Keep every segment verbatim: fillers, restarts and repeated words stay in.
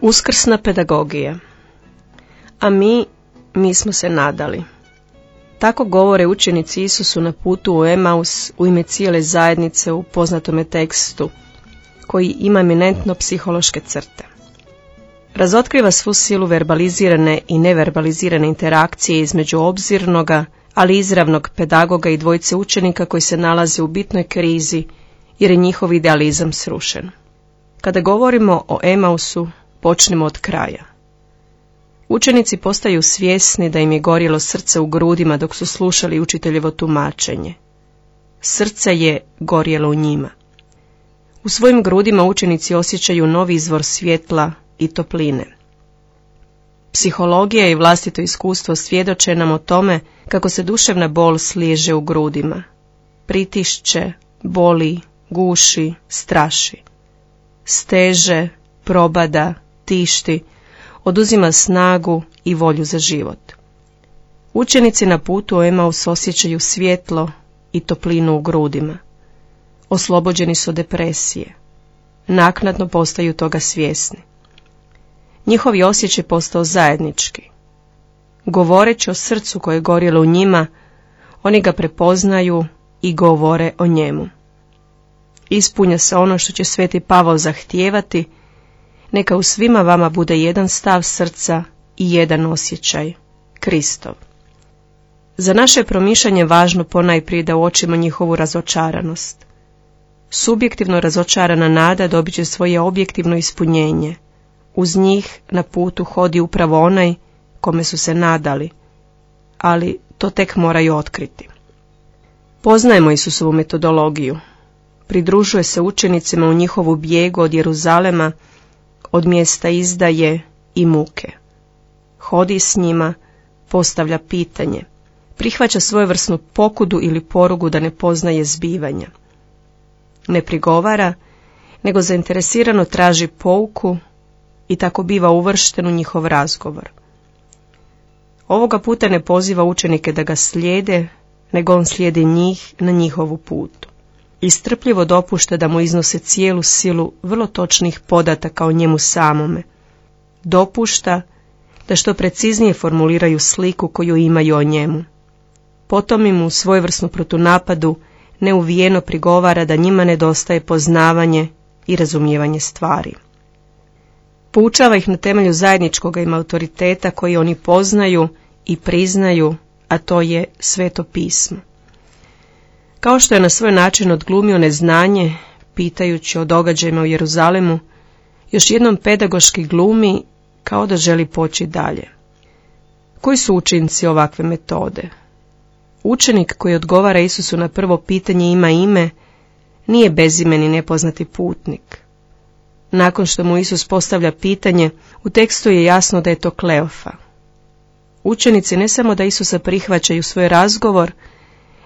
Uskrsna pedagogija. A mi, mi smo se nadali. Tako govore učenici Isusu na putu u Emaus u ime cijele zajednice u poznatome tekstu, koji ima eminentno psihološke crte. Razotkriva svu silu verbalizirane i neverbalizirane interakcije između obzirnoga, ali izravnog pedagoga i dvojice učenika koji se nalaze u bitnoj krizi jer je njihov idealizam srušen. Kada govorimo o Emausu, počnemo od kraja. Učenici postaju svjesni da im je gorjelo srce u grudima dok su slušali učiteljevo tumačenje. Srce je gorjelo u njima. U svojim grudima učenici osjećaju novi izvor svjetla i topline. Psihologija i vlastito iskustvo svjedoče nam o tome kako se duševna bol sliježe u grudima. Pritišće, boli, guši, straši. Steže, probada, tišti, oduzima snagu i volju za život. Učenici na putu u Emaus osjećaju svjetlo i toplinu u grudima. Oslobođeni su od depresije. Naknadno postaju toga svjesni. Njihovi osjećaj postao zajednički. Govoreći o srcu koje je gorjelo u njima, oni ga prepoznaju i govore o njemu. Ispunja se ono što će sveti Pavao zahtijevati, neka u svima vama bude jedan stav srca i jedan osjećaj, Kristov. Za naše promišljanje važno ponajprije da uočimo njihovu razočaranost. Subjektivno razočarana nada dobit će svoje objektivno ispunjenje. Uz njih na putu hodi upravo onaj kome su se nadali, ali to tek moraju otkriti. Poznajemo Isusovu metodologiju. Pridružuje se učenicima u njihovu bijegu od Jeruzalema, od mjesta izdaje i muke. Hodi s njima, postavlja pitanje, prihvaća svojevrsnu pokudu ili porugu da ne poznaje zbivanja. Ne prigovara, nego zainteresirano traži pouku i tako biva uvršten u njihov razgovor. Ovoga puta ne poziva učenike da ga slijede, nego on slijedi njih na njihovu putu. I strpljivo dopušta da mu iznose cijelu silu vrlo točnih podataka o njemu samome. Dopušta da što preciznije formuliraju sliku koju imaju o njemu. Potom im u svojevrsnu protunapadu neuvijeno prigovara da njima nedostaje poznavanje i razumijevanje stvari. Poučava ih na temelju zajedničkog im autoriteta koji oni poznaju i priznaju, a to je Sveto pismo. Kao što je na svoj način odglumio neznanje, pitajući o događajima u Jeruzalemu, još jednom pedagoški glumi kao da želi poći dalje. Koji su učinci ovakve metode? Učenik koji odgovara Isusu na prvo pitanje ima ime, nije bezimeni nepoznati putnik. Nakon što mu Isus postavlja pitanje, u tekstu je jasno da je to Kleofa. Učenici ne samo da Isusa prihvaćaju svoj razgovor,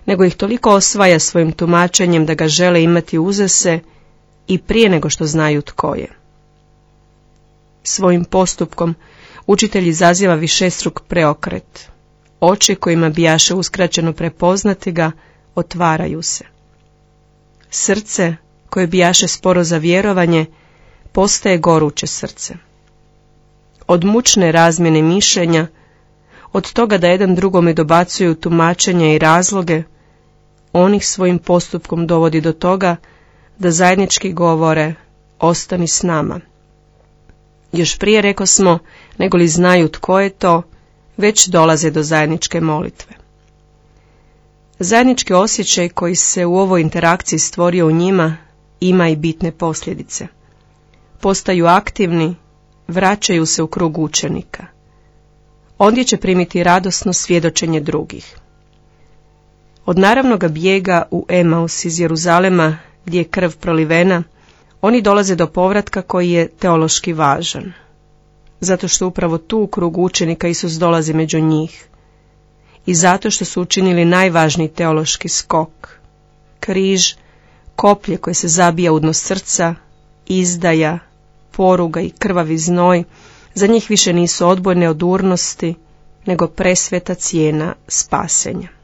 nego ih toliko osvaja svojim tumačenjem da ga žele imati uza se i prije nego što znaju tko je. Svojim postupkom učitelj izaziva višestruk preokret. Oči kojima bijaše uskraćeno prepoznati ga, otvaraju se. Srce, koje bijaše sporo za vjerovanje, postaje goruće srce. Od mučne razmjene mišljenja, od toga da jedan drugome dobacuju tumačenja i razloge, on ih svojim postupkom dovodi do toga da zajednički govore, ostani s nama. Još prije rekosmo, nego li znaju tko je to, već dolaze do zajedničke molitve. Zajednički osjećaj koji se u ovoj interakciji stvorio u njima ima i bitne posljedice. Postaju aktivni, vraćaju se u krug učenika. Ondje će primiti radosno svjedočenje drugih. Od naravnoga bijega u Emaus iz Jeruzalema, gdje je krv prolivena, oni dolaze do povratka koji je teološki važan. Zato što upravo tu u krugu učenika Isus dolazi među njih. I zato što su učinili najvažniji teološki skok. Križ, koplje koje se zabija u dno srca, izdaja, poruga i krvavi znoj, za njih više nisu odbojne od urnosti, nego presveta cijena spasenja.